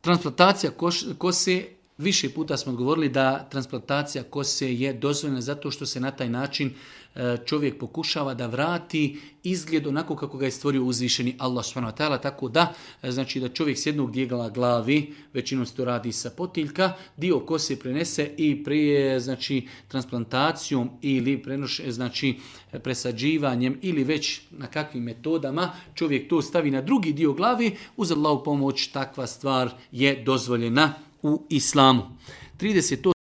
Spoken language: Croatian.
Transplantacija kose, više puta smo govorili da transplantacija kose je dozvoljena zato što se na taj način čovjek pokušava da vrati izgled onako kako ga je stvorio uzvišeni Allah subhanahu wa ta'ala, tako da znači da čovjek s jednog dijela glavi, većinom se to radi sa potiljka, dio kose prenese i prije znači transplantacijom ili znači presađivanjem ili već na kakvim metodama čovjek to stavi na drugi dio glavi, uz Allahu pomoć takva stvar je dozvoljena u islamu. 30.